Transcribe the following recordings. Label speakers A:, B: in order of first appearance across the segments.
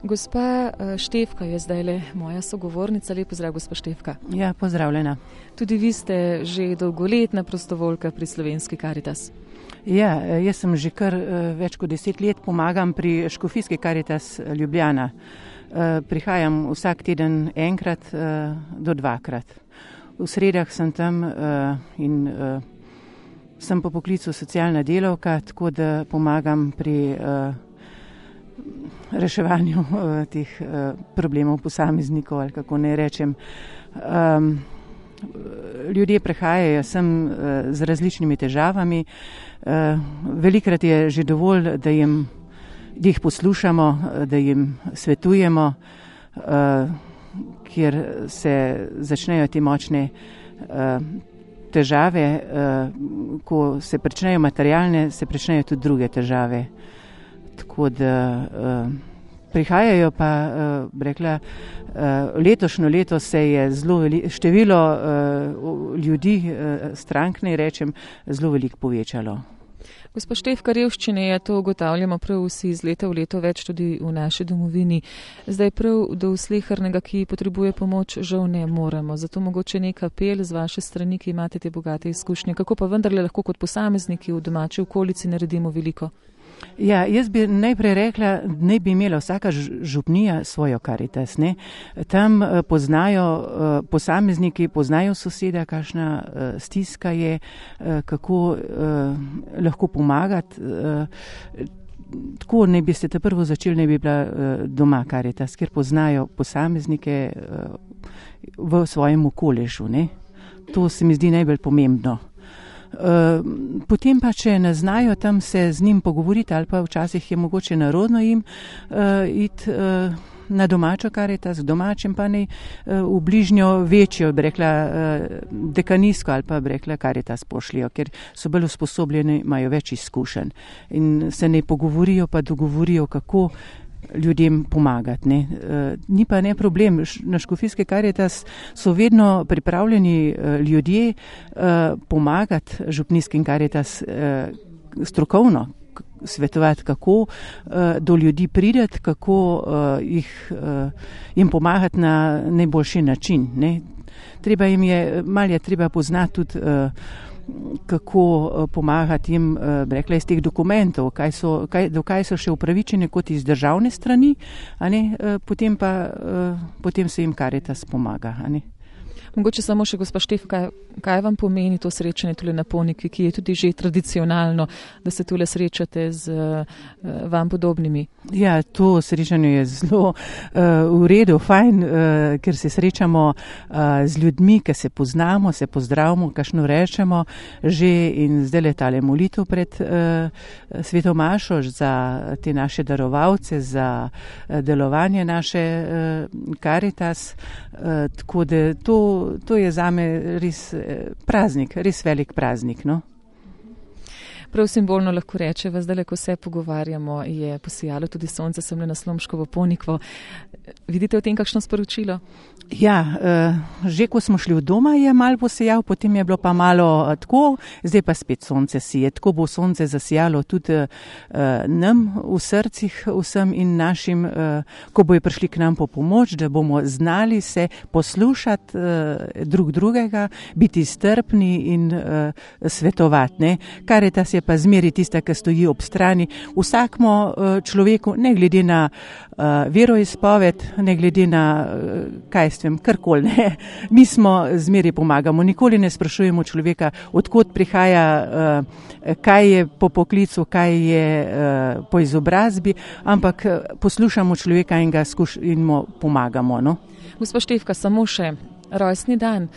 A: Gospa Štefka je zdajle moja sogovornica. Lep pozdrav, gospa Štefka.
B: Ja, pozdravljena.
A: Tudi vi ste že dolgoletna prostovoljka pri Slovenski Karitas.
B: Ja, jaz sem že kar več kot 10 let pomagam pri Škofijski Karitas Ljubljana. Prihajam vsak teden enkrat do dvakrat. V sredah sem tam in sem po poklicu socialna delavka, tako da pomagam pri reševanju teh problemov posameznikov, ali kako ne rečem. Ljudje prihajajo sem z različnimi težavami. Velikrat je že dovolj, da jih poslušamo, da jim svetujemo, kjer se začnejo te močne težave. Ko se pričnejo materialne, se pričnejo tudi druge težave. Tako da prihajajo pa, rekla, letošnjo leto se je število ljudi, strank, ne rečem, zelo veliko povečalo.
A: Gospa Štefka, revščine je, to ugotavljamo prav vsi iz leta v leto več tudi v naši domovini. Zdaj prav do slehernega, ki potrebuje pomoč, žal ne moremo. Zato mogoče nek apel z vaše strani, ki imate te bogate izkušnje. Kako pa vendarle lahko kot posamezniki v domači okolici naredimo veliko?
B: Ja, jaz bi najprej rekla, ne bi imela vsaka župnija svojo Karitas. Ne? Tam poznajo posamezniki, poznajo soseda, kakšna stiska je, kako lahko pomagati. Tako ne bi ste te prvo začeli, ne bi bila doma Karitas, ker poznajo posameznike v svojem okolišu. Ne? To se mi zdi najbolj pomembno. Potem pa, če ne znajo tam se z njim pogovoriti, ali pa včasih je mogoče narodno jim iti na domačo Karitas, v domačem pa ne v bližnjo večjo, bi rekla, dekanijsko ali pa bi rekla Karitas pošljijo, ker so bolj usposobljeni, imajo več izkušenj in se ne pogovorijo pa dogovorijo, kako ljudem pomagati. Ne. Ni pa ne problem. Na Škofijske Karitas so vedno pripravljeni ljudje pomagati župnijskim Karitas strokovno, svetovati, kako do ljudi prideti, kako jim pomagati na najboljši način. Ne. Malo je treba poznati tudi kako pomagati jim, rekla, iz teh dokumentov, do kaj so še upravičeni kot iz državne strani, a ne, potem se jim Karitas pomaga. A ne.
A: Mogoče samo še, gospa Štefka, kaj vam pomeni to srečanje tule na Ponikvi, ki je tudi že tradicionalno, da se tule srečate z vam podobnimi?
B: Ja, to srečanje je zelo v redu, fajn, ker se srečamo z ljudmi, ki se poznamo, se pozdravimo, kakšno rečemo že in zdaj letale molitev pred Sveto mašo za te naše darovalce, za delovanje naše Karitas, tako da to je zame res praznik, res velik praznik. No?
A: Prav simbolno lahko rečeva, zdaj, ko se pogovarjamo, je posijalo tudi sonce semle na Slomškovo Ponikvo. Vidite v tem kakšno sporočilo?
B: Ja, že ko smo šli v doma, je malo posijal, potem je bilo pa malo tako, zdaj pa spet sonce sije. Tako bo sonce zasijalo tudi nam v srcih vsem in našim, ko bojo prišli k nam po pomoč, da bomo znali se poslušati drug drugega, biti strpni in svetovati. Ne? Karitas je pa zmeri tista, ki stoji ob strani vsakmu človeku, ne glede na veroizpoved, ne glede na karkoli. Ne. Mi smo zmeri pomagamo, nikoli ne sprašujemo človeka, odkot prihaja, kaj je po poklicu, kaj je po izobrazbi, ampak poslušamo človeka in mu pomagamo. No.
A: Gospa Štefka, samo še rojstni dan,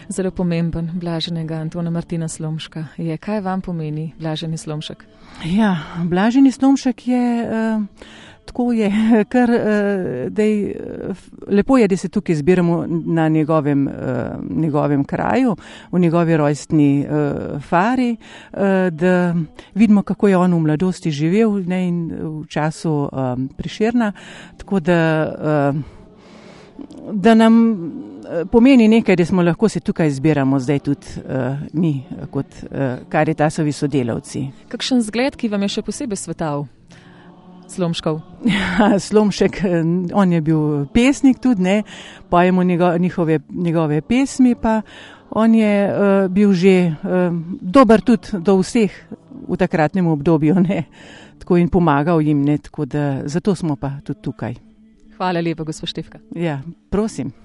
A: zelo pomemben, blaženega Antona Martina Slomška je. Kaj vam pomeni blaženi Slomšek? Ja, blaženi Slomšek je... Tako je, kar lepo je, da se tukaj zbiramo na njegovem kraju, v njegovi rojstni fari, da vidimo, kako je on v mladosti živel, ne, in v času Prešerna, tako da nam pomeni nekaj, da smo lahko se tukaj zbiramo zdaj tudi mi kot Karitasovi sodelavci. Kakšen zgled, ki vam je še posebej svetal? Slomškov.
B: Slomšek, on je bil pesnik tudi, ne, pojemo njegove pesmi, pa on je bil že dober tudi do vseh v takratnem obdobju, ne, tako in pomagal jim, ne, tako da zato smo pa tudi tukaj.
A: Hvala lepa, gospod Štefka.
B: Ja, prosim.